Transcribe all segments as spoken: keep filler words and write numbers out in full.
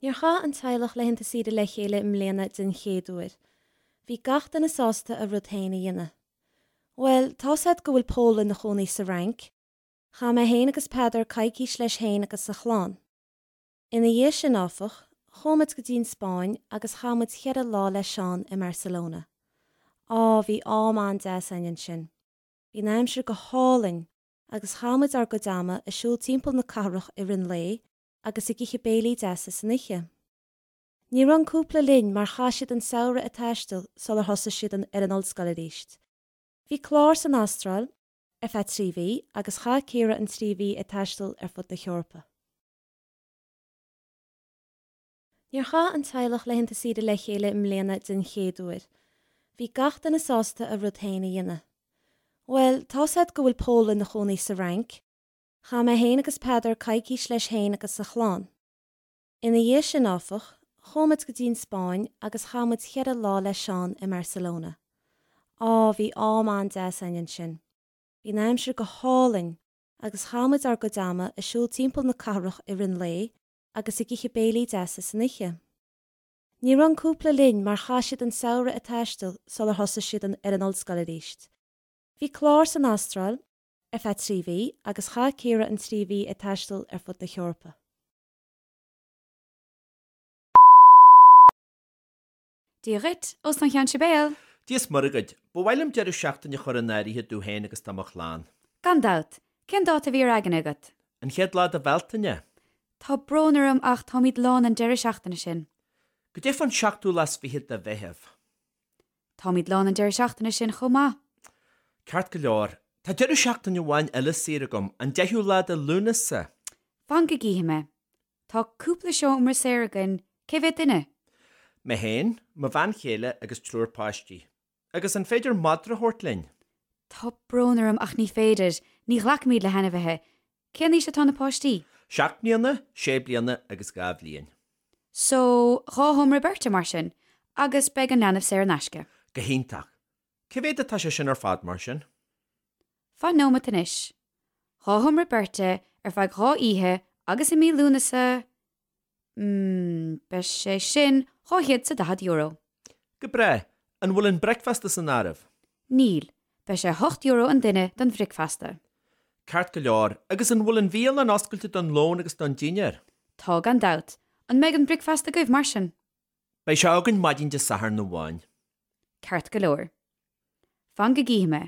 Níor chaith an teaghlach laethanta saoire le chéile i mbliana den chéad uair. Bhí gach duine sásta a rud féin a dhéanamh. Bhuel, tá's agat go bhfuil Pól ina chónaí sa Fhrainc. Chaith mé féin agus Peadar coicís leis féin agus a chlann. Ina dhiaidh sin áfach, chuaigh muid go dtí an Spáinn agus chaith muid ceithre lá le Seán i mBarcelona. Á bhí am an-deas againn ansin. Bhí an aimsir go hálainn agus chaith muid ár gcuid ama ag siúl timpeall na cathrach i rith an lae agus ag ithe béilí deasa san oíche. Ní raibh an cúpla linn mar chaith siad an samhradh ag taisteal sular thosaigh siad ar an ollscoil arís. Bhí clár san Astráil ar feadh trí mhí agus chaith Ciara an trí mhí ag taisteal ar fud na hEorpa. Níor chaith an teaghlach laethanta saoire le chéile i mbliana den chéad uair. Bhí gach duine sásta a rud féin a dhéanamh. Bhuel, tá's agat go bhfuil Pól ina chónaí sa Fhrainc. Chaith mé féin agus Peadar coicís leis féin agus a chlann. Ina dhiaidh sin áfach, chuaigh muid go dtí an Spáinn agus chaith muid ceithre lá le Seán i mBarcelona. Á bhí am an-deas againn ansin. Bhí an aimsir go hálainn agus chaith muid ár gcuid ama ag siúl timpeall na cathrach i rith an lae agus ag ithe béilí deasa san oíche. Ní raibh an cúpla linn mar chaith siad an samhradh ag taisteal sular thosaigh siad ar an ollscoil arís. Bhí clár san Astráil ar feadh trí mhí agus chaith Ciara an trí mhí ag taisteal ar fud na hEorpa. Dia dhuit, Óstán Cheann Sibéal! Dia is Muire dhuit, ba mhaith liom deireadh seachtaine a chur in áirithe domh féin agus do mo chlann. Gan dabht! Cén dáta a bhí ar aigne agat? An chéad lá de Bhealtaine. Tá brón orm ach táimid lán an deireadh seachtaine sin. Goidé fán seachtú lá is fiche de Mheitheamh. Táimid lán an deireadh seachtaine sin chomh maith. Ceart go leor, tá deireadh seachtaine amháin eile saor agam, an deichiú lá de Lúnasa. Fan go gcífidh mé. Tá cúpla seomra saor againn, cé mhéad duine? Mé féin, mo bhean chéile agus triúr páistí. Agus an féidir madra a thabhairt linn? Tá brón orm ach ní féidir, ní ghlacaimid le hainmhithe. Cén aois atá na páistí? Seacht mbliana, sé bliana agus dhá bhliain. So, dhá sheomra beirte mar sin, agus beidh an leanbh saor in aisce. Go hiontach. Cé mhéad atá sé sin ar fad mar sin? Fan nóiméad anois. Dhá sheomra beirte ar feadh dhá oíche agus i mí Lúnasa, mm, beidh sé sin dhá chéad 's a daichead euro. Go breá. An bhfuil an bricfeasta san áireamh? Níl. Beidh sé hocht euro an duine don bhricfeasta. Ceart go leor. Agus an bhfuil an bhialann oscailte don lón agus don dinnéar? Tá gan dabht. An mbeidh an bricfeasta agaibh mar sin? Beidh sé againn maidin Dé Sathairn amháin. Ceart go leor. Fan go gcífidh mé.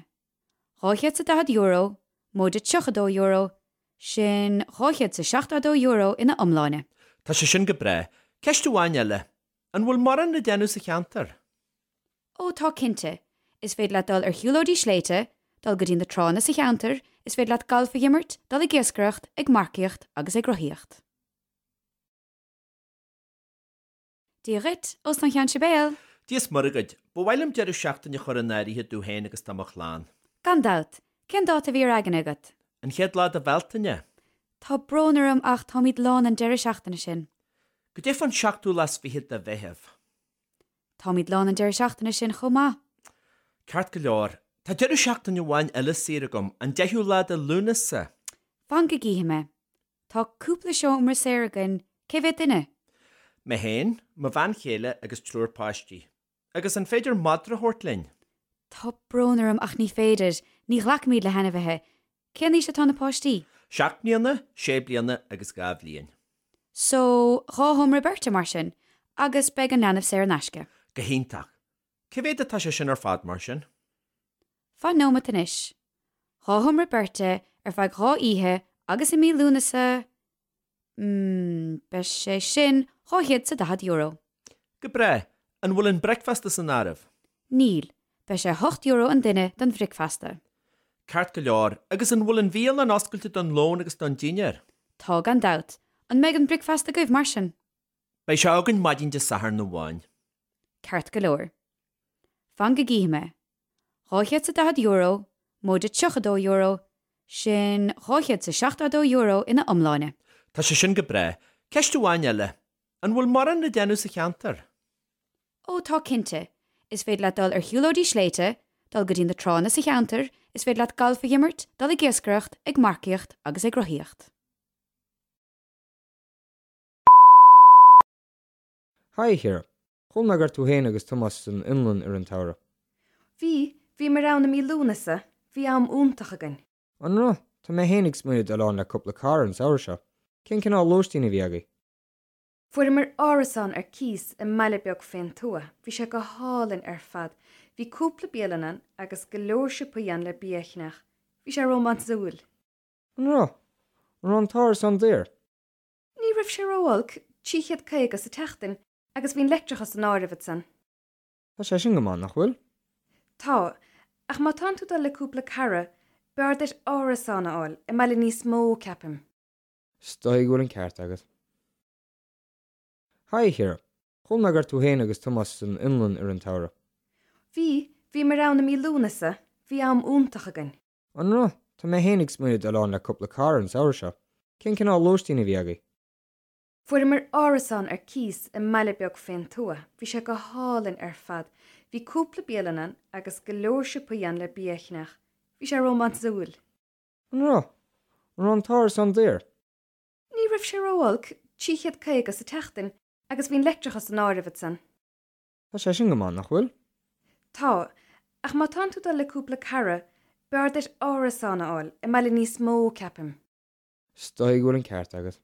Dhá chéad 's a daichead euro, móide tríocha dó euro, sin dhá chéad 's a seachtó dó euro ina iomláine. Tá sé sin go breá. Ceist amháin eile. An bhfuil mórán le déanamh sa cheantar? Ó tá cinnte. Is féidir leat dul ar shiúlóidí sléibhte, dul go dtí na tránna sa cheantar, is féidir leat galf a imirt, dul ag iascaireacht, ag marcaíocht agus ag rothaíocht. Dia dhuit, Óstán Cheann Sibéal! Dia is Muire dhuit, ba mhaith liom deireadh seachtaine a chur in áirithe domh féin agus do mo chlann. Gan dabht! Cén dáta a bhí ar aigne agat? An chéad lá de Bhealtaine. Tá brón orm ach táimid lán an deireadh seachtaine sin. Goidé fán seachtú lá is fiche de Mheitheamh. Táimid lán an deireadh seachtaine sin chomh maith. Ceart go leor, tá deireadh seachtaine amháin eile saor agam, an deichiú lá de Lúnasa. Fan go gcífidh mé. Tá cúpla seomra saor againn, cé mhéad duine? Mé féin, mo bhean chéile agus triúr páistí. Agus an féidir madra a thabhairt linn? Tá brón orm ach ní féidir, ní ghlacaimid le hainmhithe. Cén aois atá na páistí? Seacht mbliana, sé bliana agus dhá bhliain. So, dhá sheomra beirte mar sin, agus beidh an leanbh saor in aisce. Go hiontach. Cé mhéad atá sé sin ar fad mar sin? Fan nóiméad anois. Dhá sheomra beirte ar feadh dhá oíche agus i mí Lúnasa, mm, beidh sé sin dhá chéad 's a daichead euro. Go breá. An bhfuil an bricfeasta san áireamh? Níl. Beidh sé hocht euro an duine don bhricfeasta. Ceart go leor. Agus an bhfuil an bhialann oscailte don lón agus don dinnéar? Tá gan dabht. An mbeidh an bricfeasta agaibh mar sin? Beidh sé againn maidin Dé Sathairn amháin. Ceart go leor. Fan go gcífidh mé. Dhá chéad 's a daichead euro, móide tríocha dó euro, sin dhá chéad 's a seachtó dó euro ina iomláine. Tá sé sin go breá. Ceist amháin eile. An bhfuil mórán le déanamh sa cheantar? Ó tá cinnte. Is féidir leat dul ar shiúlóidí sléibhte, dul go dtí na tránna sa cheantar, is féidir leat galf a imirt, dul ag iascaireacht, ag marcaíocht agus ag rothaíocht. Haigh a Chiara. Chuala mé go raibh tú féin agus Tomás san Fhionlainn i rith an tsamhraidh. Bhí, bhíomar ann i mí Lúnasa, bhí am iontach againn. An raibh? Tá mé féin ag smaoineamh dul ann le cúpla cara an samhradh seo. Cén cineál lóistín a bhí agaibh? Fuaireamar árasán ar cíos i mbaile beag fén tuath. Bhí sé go hálainn ar fad. Bhí cúpla bialann ann agus go leor siopaí ann le bia a cheannach. Bhí sé rómánsúil. An raibh? An raibh an t-árasán daor? Ní raibh sé ró-olc, trí chéad caoga sa tseachtain, agus bhí an leictreachas san áireamh ansan. Tá sé sin go maith, nach bhfuil? Tá, ach má tánn tú ag dul le cúpla cara, b'fhearr duit árasán a fháil i mbaile níos mó, ceapaim. Is dóigh go bhfuil an ceart agat. Haigh a Chiara. Chuala mé go raibh tú féin agus Tomás san Fhionlainn i rith an tsamhraidh. Bhí, bhíomar ann i mí Lúnasa, bhí am iontach againn. An raibh? Tá mé féin ag smaoineamh dul ann le cúpla cara an samhradh seo. Cén cineál lóistín a bhí agaibh? Fuaireamar árasán ar cíos i mbaile beag fén tuath. Bhí sé go hálainn ar fad. Bhí cúpla bialann ann agus go leor siopaí ann le bia a cheannach. Bhí sé rómánsúil. An raibh? An raibh an t-árasán daor? Ní raibh sé ró-olc, trí chéad caoga sa tseachtain, agus bhí an leictreachas san áireamh ansan. Tá sé sin go maith, nach bhfuil? Tá, ach má tánn tú ag dul le cúpla cara, b'fhearr duit árasán a fháil i mbaile níos mó, ceapaim. Is dóigh go bhfuil an ceart agat.